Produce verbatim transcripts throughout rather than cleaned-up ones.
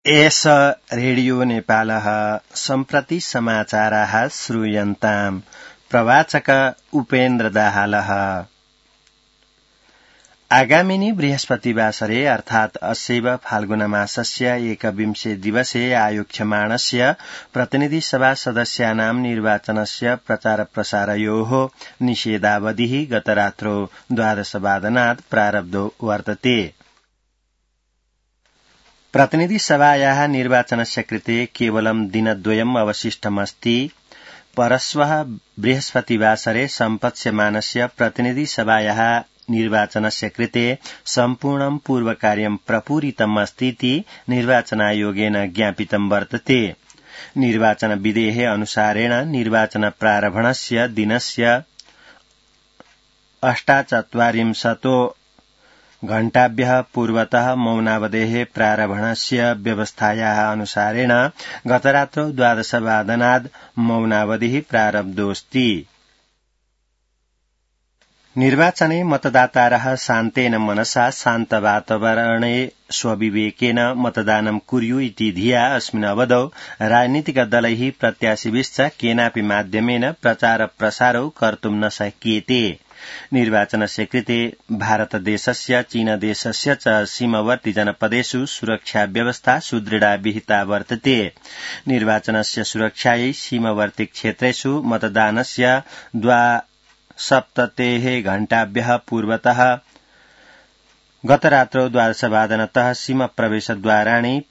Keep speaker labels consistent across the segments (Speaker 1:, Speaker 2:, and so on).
Speaker 1: एष रेडियो नेपालः सम्प्रति समाचाराः श्रूयन्ताम्। प्रवाचक उपेन्द्र दाहालः। आगामिनी बृहस्पतिवासरे अर्थात् अस्यैव फाल्गुनमासस्य एकविंशे दिवसे आयोक्ष्यमाणस्य प्रतिनिधिसभा सदस्यानां निर्वाचनस्य प्रचारप्रसारयोः निषेधावधिः गतरात्रौ द्वादशवादनात् प्रारब्धो वर्तते। प्रतिनिधिसभायाः निर्वाचनस्य कृते केवलं दिनद्वयम् अवशिष्टमस्ति। परश्वः बृहस्पतिवासरे सम्पत्स्यमानस्य प्रतिनिधिसभायाः निर्वाचनस्य कृते सम्पूर्णं पूर्वकार्यं प्रपूरितम् अस्तीति निर्वाचनायोगेन ज्ञापितं वर्तते। निर्वाचनविधेः अनुसारेण निर्वाचन प्रारम्भणस्य दिनस्य अष्टाचत्वारिंशतो घण्टाभ्यः पूर्वतः मौनावधेः प्रारम्भणस्य व्यवस्थायाः अनुसारेण गतरात्रौ द्वादशवादनाद् मौनावधिः प्रारब्धोऽस्ति। निर्वाचने मतदातारः शान्तेन मनसा शान्तवातावरणे स्वविवेकेन मतदानं कुर्यु इति धिया अस्मिन् अवधौ राजनीतिकदलैः प्रत्याशिभिश्च केनापि माध्यमेन प्रचार प्रसारौ कर्तुं न शक्येते। निर्वाचनस्य कृते भारतदेशस्य चीनदेशस्य च सीमवर्ती जनपदेषु सुरक्षा व्यवस्था सुदृढा विहिता वर्तते। निर्वाचनस्य सुरक्षायै सीमवर्ती क्षेत्रेषु मतदानस्य द्वासप्ततेः घण्टाभ्यः पूर्वतः गतरात्रौ द्वादशवादनतः सीमप्रवेशद्वाराणि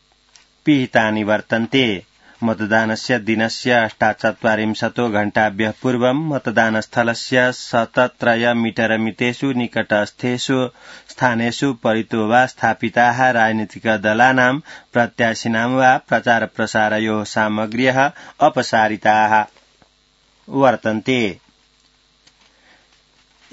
Speaker 1: पिहितानि वर्तन्ते। मतदानस्य दिनस्य अष्टाचत्वारिंशतो घण्टाभ्यः पूर्वं मतदानस्थलस्य शतत्रय मीटर मितेषु निकटस्थेषु स्थानेषु परितो वा स्थापिताः राजनीतिकदलानां प्रत्याशिनां वा प्रचार प्रसारयोः सामग्र्यः अपसारिताः वर्तन्ते।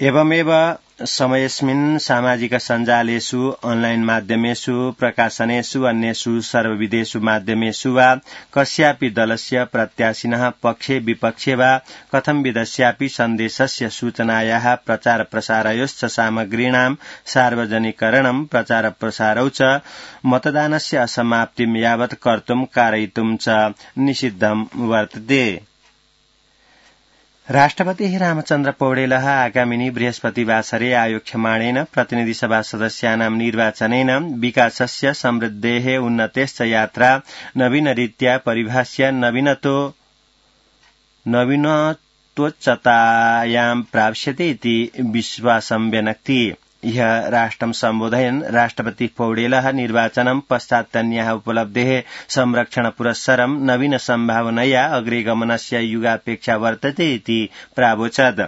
Speaker 1: एवमेव समयस्मिन् सामाजिक सञ्जालेषु ऑनलाइन माध्यमेषु प्रकाशनेषु अन्येषु सर्वविधेषु माध्यमेषु वा कस्यापि दलस्य प्रत्याशिनः पक्षे विपक्षे वा कथंविधस्यापि सन्देशस्य सूचनायाः प्रचार प्रसारयोश्च सामग्रीणां सार्वजनिकरणं प्रचार प्रसारौ च मतदानस्य असमाप्तिं यावत् कर्तुं कारयितुं च निषिद्धं वर्तते। राष्ट्रपतिः रामचन्द्र पौडेलः आगामिनी बृहस्पतिवासरे आयोक्ष्यमाणेन प्रतिनिधिसभा सदस्यानां निर्वाचनेन विकासस्य समृद्धेः उन्नतेश्च यात्रा नवीनरीत्या परिभाष्य नवीनतो नवीनतोच्चतायां प्राप्स्यते इति विश्वासं व्यनक्ति। ह्यः राष्ट्रं सम्बोधयन् राष्ट्रपतिः पौडेलः निर्वाचनं पश्चात्तन्याः उपलब्धेः संरक्षण पुरस्सरं नवीन सम्भावनया अग्रे गमनस्य युगापेक्षा वर्तते इति प्रावोचत्।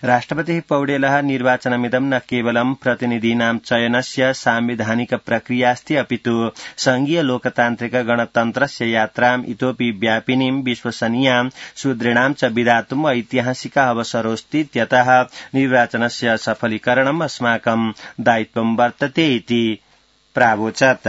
Speaker 1: राष्ट्रपतिः पौडेलः निर्वाचनमिदं न केवलं प्रतिनिधीनां चयनस्य सांविधानिक प्रक्रियास्ति अपितु संघीय लोकतान्त्रिक गणतन्त्रस्य यात्राम् इतोपि व्यापिनीं विश्वसनीयां सुदृढां च विधातुम् ऐतिहासिकः अवसरोऽस्ति इत्यतः निर्वाचनस्य सफलीकरणम् अस्माकं दायित्वं वर्तते इति प्रावोचत्।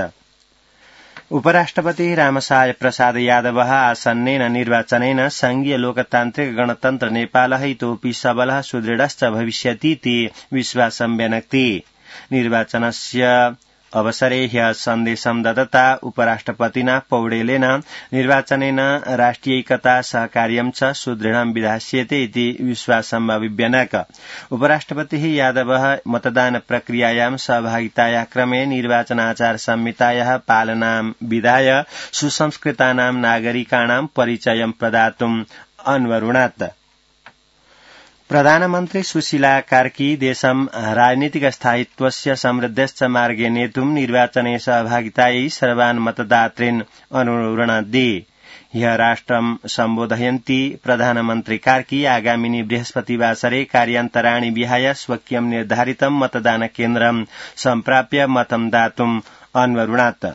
Speaker 1: उपराष्ट्रपतिः रामसाय प्रसाद यादवः आसन्नेन निर्वाचनेन संघीय लोकतान्त्रिक गणतन्त्र नेपालः इतोपि सबलः सुदृढश्च भविष्यति इति विश्वासं व्यनक्ति। निर्वाचनस्य अवसरे ह्यः सन्देशं ददता उपराष्ट्रपतिना पौडेलेन निर्वाचनेन राष्ट्रियैकता सहकार्यं च सुदृढं विधास्यते इति विश्वासम् अभिव्यनक। उपराष्ट्रपतिः यादवः मतदान प्रक्रियायां सहभागितायाः क्रमे निर्वाचनाचार संहितायाः पालनां विधाय सुसंस्कृतानां नागरिकाणां परिचयं प्रदातुम् अन्वरुणत्। प्रधानमन्त्री सुशीला कार्की देशं राजनीतिक स्थायित्वस्य समृद्धश्च मार्गे नेतुं निर्वाचने सहभागितायै सर्वान् मतदातॄन् अनुरणद्दि। ह्यः राष्ट्रं सम्बोधयन्ती प्रधानमन्त्री कार्की आगामिनी बृहस्पतिवासरे कार्यान्तराणि विहाय स्वकीयं निर्धारितं मतदान केन्द्रं सम्प्राप्य मतं दातुम् अन्वरुणत्।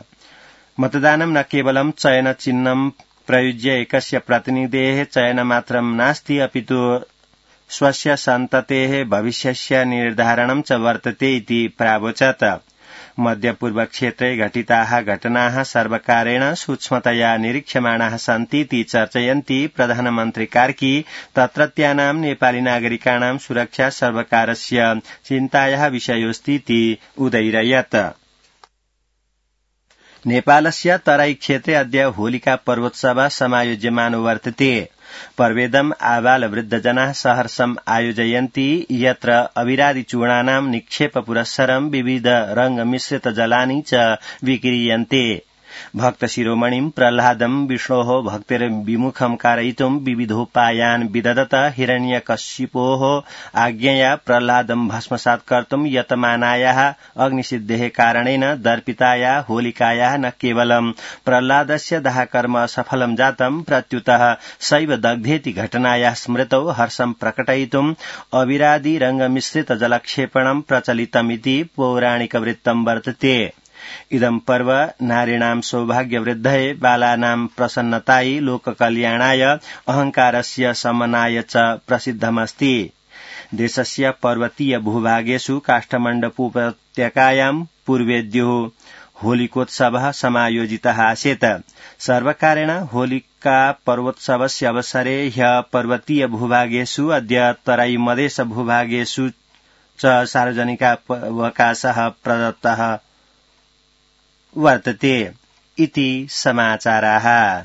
Speaker 1: मतदानं न केवलं चयन चिह्नं प्रयुज्य एकस्य प्रतिनिधेः चयनमात्रं नास्ति अपितु स्वस्य सन्ततेः भविष्यस्य निर्धारणं च वर्तते इति प्रावोचत्। मध्यपूर्वक्षेत्रे घटिताः घटनाः सर्वकारेण सूक्ष्मतया निरीक्ष्यमाणाः सन्ति इति चर्चयन्ती प्रधानमन्त्री कार्की तत्रत्यानां नेपाली नागरिकाणां सुरक्षा सर्वकारस्य चिन्तायाः विषयोऽस्ति इति उदैरयत्। नेपालस्य तराई क्षेत्रे अद्य होलिका पर्वोत्सव समायोज्यमानो वर्तते। पर्वेदम् आबालवृद्धजनाः सहर्षम् आयोजयन्ति यत्र अविरादिचूर्णानां निक्षेप पुरस्सरं विविध रंगमिश्रित जलानि च विक्रीयन्ते। भक्त शिरोमणिं प्रह्लादं विष्णोः भक्तिर्विमुखं कारयितुं विविधोपायान् विदधत। हिरण्यकशिपोः आज्ञया प्रह्लादं भस्मसात् कर्तुं यतमानायाः अग्निसिद्धेः कारणेन दर्पिताया होलिकायाः न केवलं प्रह्लादस्य दाहकर्म असफलं जातं प्रत्युतः सैव दग्धेति घटनायाः स्मृतौ हर्षं प्रकटयितुं अविरादि रंगमिश्रित जलक्षेपणं प्रचलितमिति पौराणिकवृत्तं वर्तते। इदं पर्व नारीणां सौभाग्यवृद्धये बालानां प्रसन्नतायै लोककल्याणाय अहंकारस्य शमनाय च प्रसिद्धमस्ति। देशस्य पर्वतीय भूभागेषु काष्ठमण्डपोपत्यकायां पूर्वेद्युः होलिकोत्सवः समायोजितः आसीत्। सर्वकारेण होलिका पर्वोत्सवस्य अवसरे ह्यः पर्वतीय भूभागेषु अद्य तराई मधेश भूभागेषु च सार्वजनिकावकाशः प्रदत्तः वर्तते इति समाचाराः।